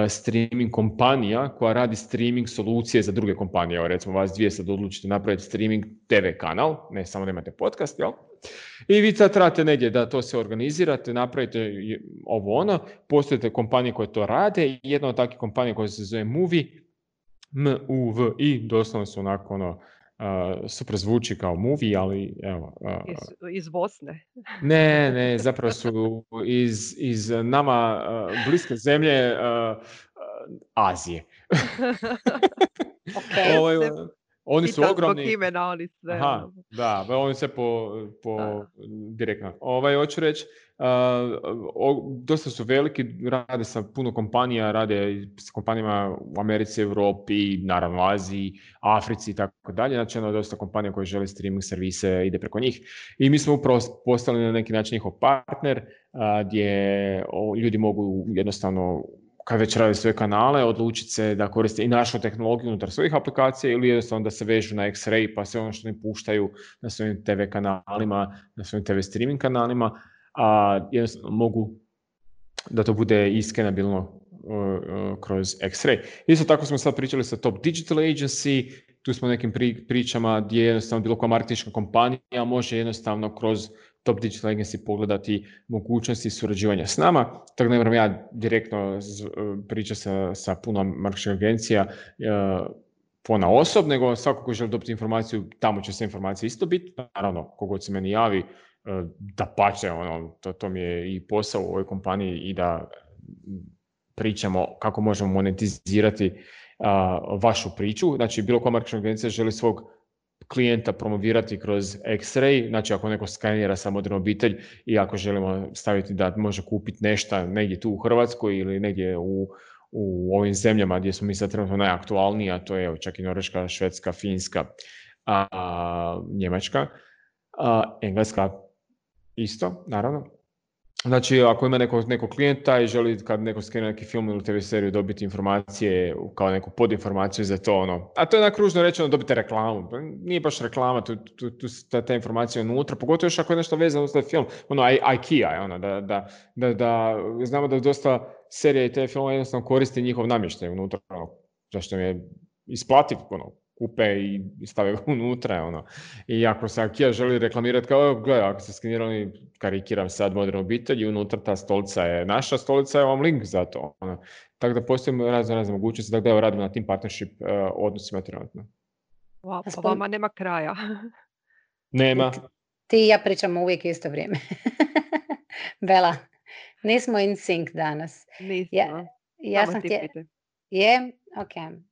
Speaker 4: streaming kompanija koja radi streaming solucije za druge kompanije. Evo, recimo vas dvije sad odlučite napraviti streaming TV kanal, ne samo da imate podcast, jel? I vi sad trebate negdje da to se organizirate, napravite postoje kompanije koje to rade i jedna od takvih kompanija koja se zove Movie, M-U-V-I, doslovno su onako super zvuči kao movie, ali evo...
Speaker 2: Iz Bosne?
Speaker 4: Ne, zapravo su iz nama bliske zemlje Azije. Oni su ogromni.
Speaker 2: Zbog imena, oni sve.
Speaker 4: Aha, da, oni sve po direktno. Hoću reći, dosta su veliki, rade sa puno kompanija, rade s kompanijama u Americi, Europi, naravno Aziji, Africi i tako dalje. Znači, dosta kompanija koje žele streaming servise, ide preko njih. I mi smo upravo postali na neki način njihov partner, gdje ljudi mogu jednostavno, kad već rade svoje kanale, odlučiti se da koriste i našu tehnologiju unutar svojih aplikacija ili jednostavno da se vežu na X-Ray pa sve ono što ne puštaju na svojim TV kanalima, na svojim TV streaming kanalima, a jednostavno mogu da to bude iskenabilno kroz X-Ray. Isto tako smo sad pričali sa Top Digital Agency, tu smo nekim pričama gdje jednostavno bilo koja marketinška kompanija može jednostavno kroz Top Digital Agency pogledati mogućnosti surađivanja s nama. Tako ne moram ja direktno pričati sa puno marketinških agencija ponaosob, nego svako ko želi dobiti informaciju, tamo će sve informacije isto biti. Naravno, kogod se meni javi, dapače, to mi je i posao u ovoj kompaniji i da pričamo kako možemo monetizirati vašu priču. Znači, bilo koja marketinška agencija želi svog klijenta promovirati kroz X-Ray, znači ako neko skanira sa Modern obitelj i ako želimo staviti da može kupiti nešto negdje tu u Hrvatskoj ili negdje u ovim zemljama gdje smo mi sad trenutno najaktualniji, a to je čak i Norveška, Švedska, Finska, Njemačka, Engleska isto, naravno. Znači, ako ima neko klijenta i želi kad neko skenira neki film ili TV seriju dobiti informacije kao neku podinformaciju za to, ono. A to je kružno rečeno, dobite reklamu. Nije baš reklama, tu ta informacija unutra, pogotovo još ako je nešto vezano uz taj film. IKEA, ono, da znamo da dosta serija i te filmova jednostavno koristi njihov namještaj unutra, ono, zašto mi je isplativ, ono, kupe i stave ga unutra, ono. I ako se IKEA želi reklamirati kao, gledaj, ako ste skenirali, karikiram sad, Moderne obitelji, unutra ta stolica je naša stolica, je vam link za to, ono. Tako da postoje razne mogućnosti, tako da evo radimo na tim partnership odnosima trenutno.
Speaker 2: Wow, pa vama nema kraja.
Speaker 4: Nema.
Speaker 3: Ti i ja pričamo uvijek isto vrijeme. Bela, nismo in sync danas.
Speaker 2: Nismo.
Speaker 3: Ja sam ok.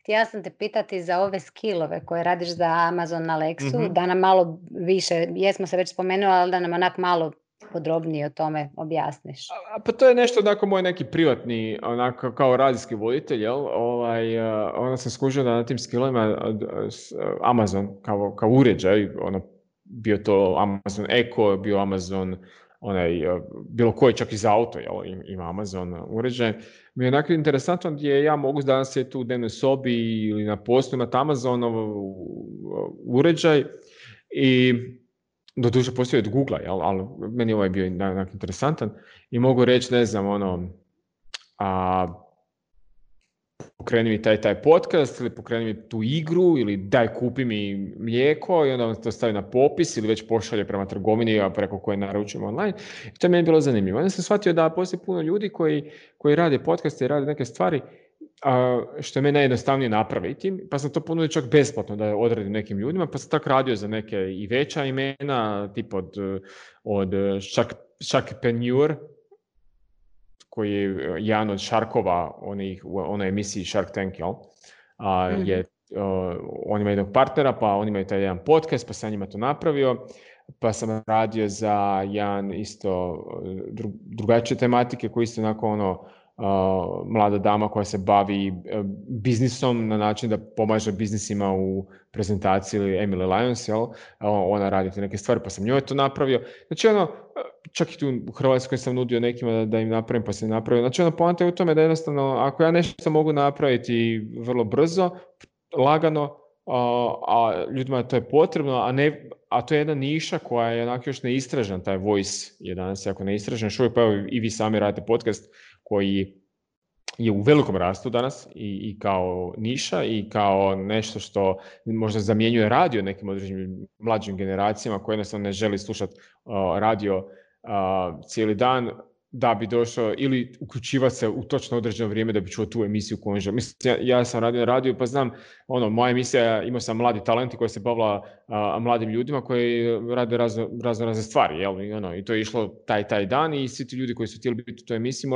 Speaker 3: Htjela sam te pitati za ove skillove koje radiš za Amazon na Alexu, da nam malo više, jesmo se već spomenuli, ali da nam onak malo podrobnije o tome objasniš.
Speaker 4: Pa to je nešto onako moj neki privatni, onako kao radijski voditelj, jel? Onda sam skužio da na tim skillovima Amazon kao uređaj, bio to Amazon Echo, bio Amazon bilo koji čak i za auto, jel, ima Amazon uređaj. Mi je onako interesantno gdje ja mogu danas je tu u dnevnoj sobi ili na poslu imati Amazonov uređaj i doduše postoji od Google-a, jel, ali meni ovaj bio onako interesantan i mogu reći, ne znam, pokreni mi taj podcast ili pokreni mi tu igru ili daj kupi mi mlijeko i onda to stavi na popis ili već pošalje prema trgovini preko koje naručujemo online. I to je meni bilo zanimljivo. Onda sam shvatio da postoji puno ljudi koji rade podcaste i rade neke stvari što je meni najjednostavnije napraviti, pa sam to ponudio čak besplatno da odradim nekim ljudima, pa sam tak radio za neke i veća imena, tip od Sharkpreneur, koji je jedan od Sharkova, onoj emisiji Shark Tank, jel? On ima jednog partnera, pa on ima taj jedan podcast, pa sam njima to napravio, pa sam radio za jedan isto drugačije tematike, koji isto onako mlada dama koja se bavi biznisom na način da pomaže biznisima u prezentaciji, ili Emily Lyons, jel? Ona radi te neke stvari, pa sam njoj to napravio. Znači čak i tu u Hrvatskoj sam nudio nekima da im napravim, pa sam napravio. Znači poanta je u tome da jednostavno, ako ja nešto mogu napraviti vrlo brzo, lagano, a ljudima to je potrebno, a to je jedna niša koja je onako još neistražena, taj voice je danas jako neistražen. Što pa evo i vi sami radite podcast koji je u velikom rastu danas i kao niša i kao nešto što možda zamjenjuje radio nekim određenim mlađim generacijama koji jednostavno ne želi slušati radio cijeli dan da bi došao ili uključivati se u točno određeno vrijeme da bi čuo tu emisiju koju on želi. Mislim, ja sam radio na radiju pa znam, moja emisija, imao sam mladi talenti koji se bavila mladim ljudima koji rade razne stvari, jel? I to je išlo taj dan i svi ti ljudi koji su htjeli biti u toj emisiji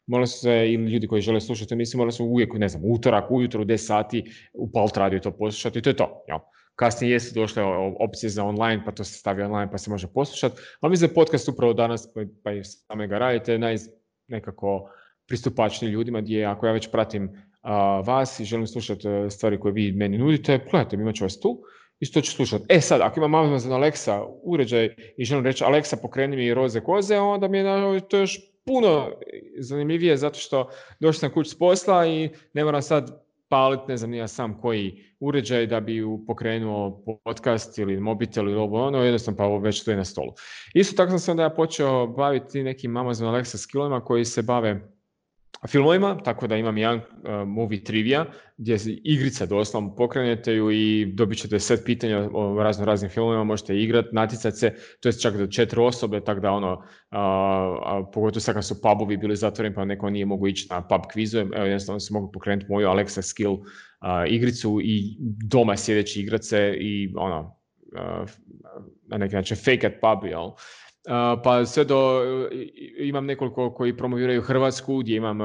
Speaker 4: morali su se, ili ljudi koji žele slušati emisiju, morali su uvijek, ne znam, utorak, ujutro u 10 sati u Palt radio to poslušati i to je to, jel? Kasnije jesu došle opcije za online, pa to se stavi online, pa se može poslušati. Ali mislim da je podcast upravo danas, pa i same ga radite, nekako pristupačni ljudima, gdje ako ja već pratim vas i želim slušati stvari koje vi meni nudite, gledajte, imat ću vas tu i to ću slušati. Sad, ako imam Amazon Alexa uređaj i želim reći Alexa pokreni mi roze koze, onda mi je to još puno zanimljivije, zato što došli sam kući s posla i ne moram sad paliti, ne znam, ja sam koji uređaj da bi pokrenuo podcast ili mobitel ili ovo jednostavno pa ovo već stoji na stolu. Isto tako sam se onda ja počeo baviti nekim Amazon Alexa skillovima koji se bave filmovima, tako da imam jedan movie trivia gdje igrica doslovno pokrenete ju i dobit ćete set pitanja o raznim filmovima, možete igrati, natjecati se, to je čak do 4 osobe, tako da pogotovo sad kad su pubovi bili zatvoreni pa neko nije mogu ići na pub kvizu, jednostavno se mogu pokrenuti moju Alexa skill igricu i doma sjedeći igrat se i na neki način fake at pub, jel? Pa sve imam nekoliko koji promoviraju Hrvatsku, gdje imam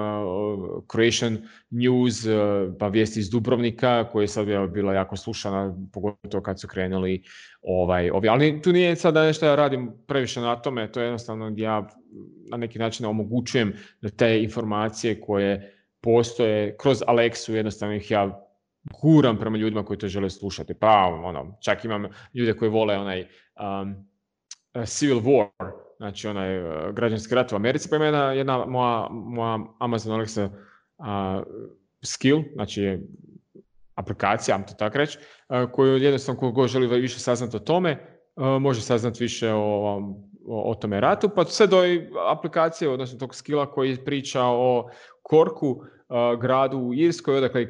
Speaker 4: Croatian News, pa vijesti iz Dubrovnika, koje je sad bila jako slušana, pogotovo kad su krenuli ovi. Ali tu nije sad da nešto ja radim previše na tome, to je jednostavno gdje ja na neki način omogućujem da te informacije koje postoje kroz Alexu, jednostavno ih ja guram prema ljudima koji to žele slušati. Pa čak imam ljude koji vole Civil War, znači onaj građanski rat u Americi, pa ima jedna moja Amazon Alexa skill, znači aplikacija, to tako reći, koju jednostavno ko god želi više saznati o tome, može saznati više o tome ratu, pa sve do aplikacije, odnosno tog skilla koji priča o Corku, gradu u Irskoj, odakle je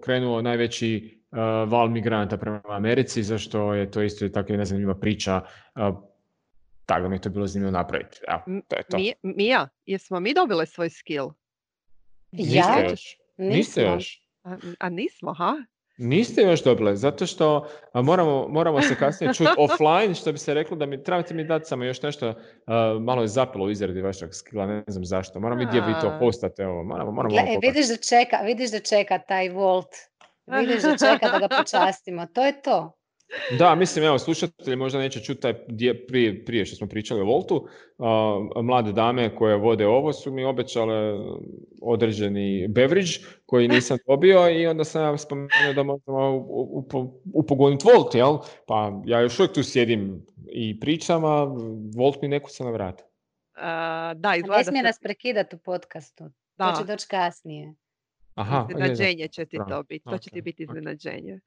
Speaker 4: krenuo najveći val migranata prema Americi, zašto je to isto tako jedna zanimljiva priča, tako da mi je to bilo zanimljivo napraviti. Evo, to je to.
Speaker 2: Mija, jesmo mi dobile svoj skill?
Speaker 3: Ja?
Speaker 4: Niste još.
Speaker 2: A nismo, ha?
Speaker 4: Niste još dobile, zato što moramo se kasnije čuti offline, što bi se reklo da trebate mi dati samo još nešto, malo je zapelo u izradi vašeg skilla, ne znam zašto. Moram vidjeti gdje vi to hostate, evo, moramo
Speaker 3: Vidiš da čeka taj Volt. Vidiš da čeka da ga počastimo. To je to.
Speaker 4: Da, mislim, evo, slušatelji možda neće čuti taj prije što smo pričali o Voltu. Mlade dame koje vode ovo su mi obećale određeni beverage koji nisam dobio i onda sam ja spomenuo da možemo upogoniti Volt, jel? Pa ja još uvijek tu sjedim i pričam, a Volt mi ne kuca na vrata.
Speaker 2: Da,
Speaker 3: ne smije nas prekidati u podcastu.
Speaker 2: Da.
Speaker 3: To će doći kasnije.
Speaker 2: Aha, iznenađenje će ti to biti. To će ti biti iznenađenje.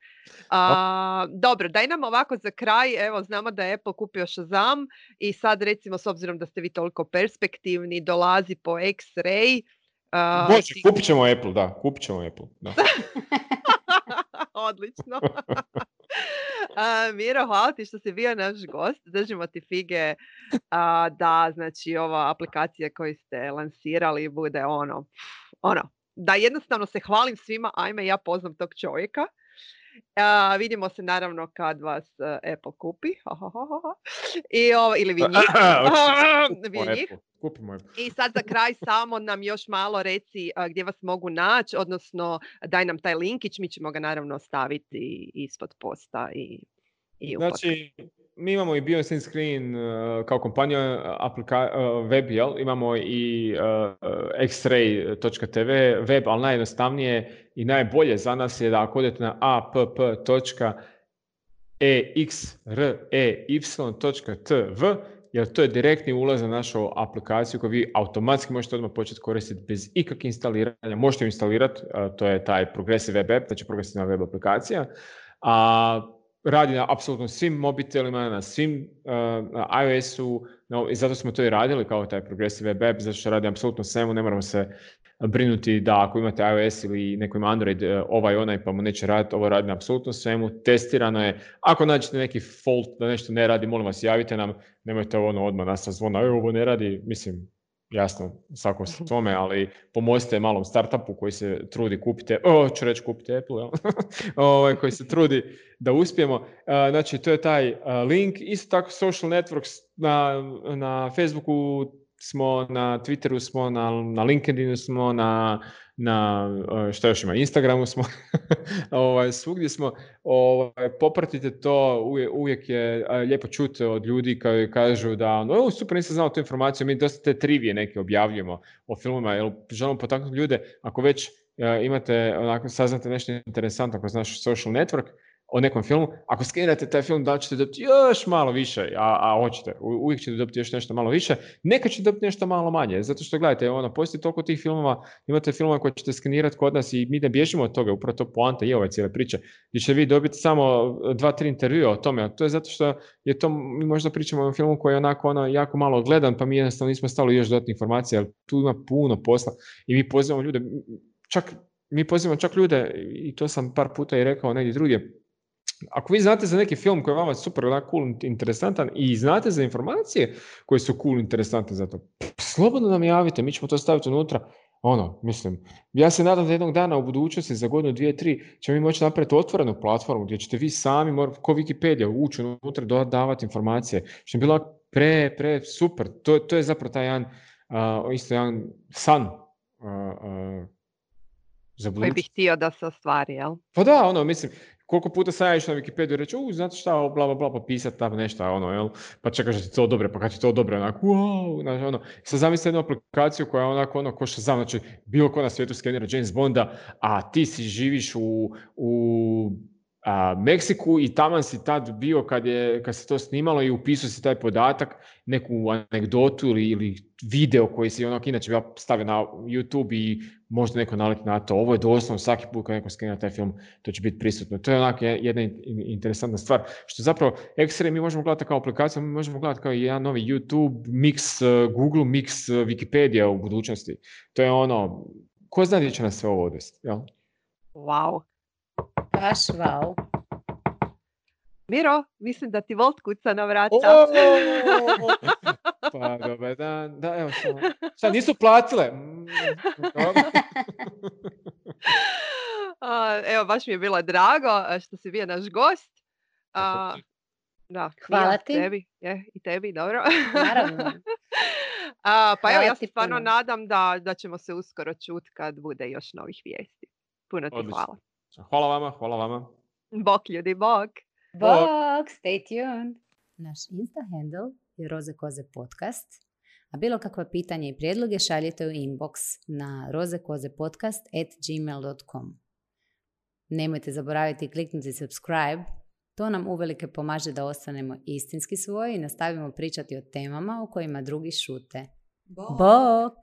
Speaker 2: Dobro, daj nam ovako za kraj. Evo, znamo da je Apple kupio Shazam i sad recimo, s obzirom da ste vi toliko perspektivni, dolazi po X-Ray.
Speaker 4: Može, kupit ćemo Apple, da.
Speaker 2: Odlično. Miro, hvala ti što si bio naš gost. Držimo ti fige da, znači, ova aplikacija koju ste lansirali bude ono, da jednostavno se hvalim svima, ajme ja poznam tog čovjeka. Vidimo se naravno kad vas Apple kupi. Ili vi njih.
Speaker 4: Kupimo Apple.
Speaker 2: I sad za kraj samo nam još malo reci gdje vas mogu naći, odnosno daj nam taj linkić, mi ćemo ga naravno staviti ispod posta i u podcast.
Speaker 4: Znači, mi imamo i Beyond Screen Screen kao kompanija web, jel? Imamo i xray.tv web, ali najjednostavnije i najbolje za nas je da ako odete na app.exrey.tv, jer to je direktni ulaz na našu aplikaciju koju vi automatski možete odmah početi koristiti bez ikakvih instaliranja. Možete ju instalirati, to je taj Progressive Web App, znači progresivna web aplikacija. Radi na apsolutno svim mobitelima, na svim iOS-u, i zato smo to i radili kao taj Progressive Web App, zato što radi apsolutno svemu, ne moramo se brinuti da ako imate iOS ili neko ima Android, onaj pa mu neće raditi, ovo radi na apsolutno svemu, testirano je. Ako nađete neki fault da nešto ne radi, molim vas javite nam, nemojte odmah nas zvona, ovo ne radi, mislim, jasno, svako svome, ali pomozite malom startupu koji se trudi kupiti Apple, koji se trudi da uspijemo. Znači, to je taj link. Isto tako social networks na Facebooku smo, na Twitteru smo, na LinkedInu smo, na što još ima, Instagramu smo, svugdje smo. Popratite to, uvijek je lijepo čuti od ljudi koji kažu da super, nisam znao tu informaciju, mi dosta te trivije neke objavljujemo o filmima, jer želimo potaknuti ljude, ako već imate, saznate nešto interesantno kroz naš social network, o nekom filmu, ako skenirate taj film, da li ćete dobiti još malo više, a hoćete, uvijek ćete dobiti još nešto malo više, neka ćete dobiti nešto malo manje, zato što gledajte, postoji toliko tih filmova, imate filmova koje ćete skenirati kod nas i mi ne bježimo od toga, upravo to poanta je ove cijele priče, gdje ćete vi dobiti samo 2-3 intervjua o tome, a to je zato što je to, mi možda pričamo o filmu koji je onako jako malo gledan, pa mi jednostavno nismo stavili još dodatne informacije, ali tu ima puno posla i mi pozivamo ljude, čak ljude, i to sam par puta i rekao negdje drugdje, ako vi znate za neki film koji je vama super, cool, interesantan i znate za informacije koje su cool, interesantne za to, slobodno nam javite, mi ćemo to staviti unutra. Mislim, ja se nadam da jednog dana u budućnosti, za godinu, 2, 3, ćemo mi moći napraviti otvorenu platformu gdje ćete vi sami, ko Wikipedia, ući unutra, davati informacije. Što je bilo pre super. To je zapravo taj jedan san za budućnost.
Speaker 2: Koji bih htio da se ostvari, jel?
Speaker 4: Pa da, mislim, koliko puta sam ja išao na Wikipediju i reći, znate šta, bla, bla, bla, popisati tam nešto, jel? Pa čekaš da ti to odobre, pa kad ti to odobre, onako, wow, sad zamisli jednu aplikaciju koja je onako, ko Shazam, znači, bilo ko na svijetu skenira James Bonda, a ti si živiš u Meksiku i taman si tad bio kad se to snimalo i upisao si taj podatak, neku anegdotu ili video koji si inače ja stavio na YouTube i možda neko naleti na to. Ovo je doslovno svaki put kad neko skine taj film, to će biti prisutno. To je onako jedna interesantna stvar. Što zapravo X-Ray mi možemo gledati kao aplikaciju, mi možemo gledati kao jedan novi YouTube, mix Google, mix Wikipedia u budućnosti. To je ko zna gdje će nas sve ovo odvesti, jel?
Speaker 2: Wow.
Speaker 3: Baš wow.
Speaker 2: Miro, mislim da ti Volt kuca na vrata.
Speaker 4: Pa dobar dan. Da, evo samo. Šta, nisu platile?
Speaker 2: Evo, baš mi je bilo drago što si bio naš gost. Da,
Speaker 3: hvala ti.
Speaker 2: Tebi. I tebi, dobro.
Speaker 3: Naravno.
Speaker 2: Pa evo, ja se stvarno nadam da ćemo se uskoro čuti kad bude još novih vijesti. Puno ti hvala.
Speaker 4: Hvala vama.
Speaker 2: Bok ljudi, bok.
Speaker 3: Bok, stay tuned.
Speaker 5: Naš Insta handle je Roze Koze podcast, a bilo kakva pitanje i prijedloge šaljite u inbox na rozekozepodcast@gmail.com. Nemojte zaboraviti kliknuti subscribe, to nam uvelike pomaže da ostanemo istinski svoji i nastavimo pričati o temama o kojima drugi šute. Bok!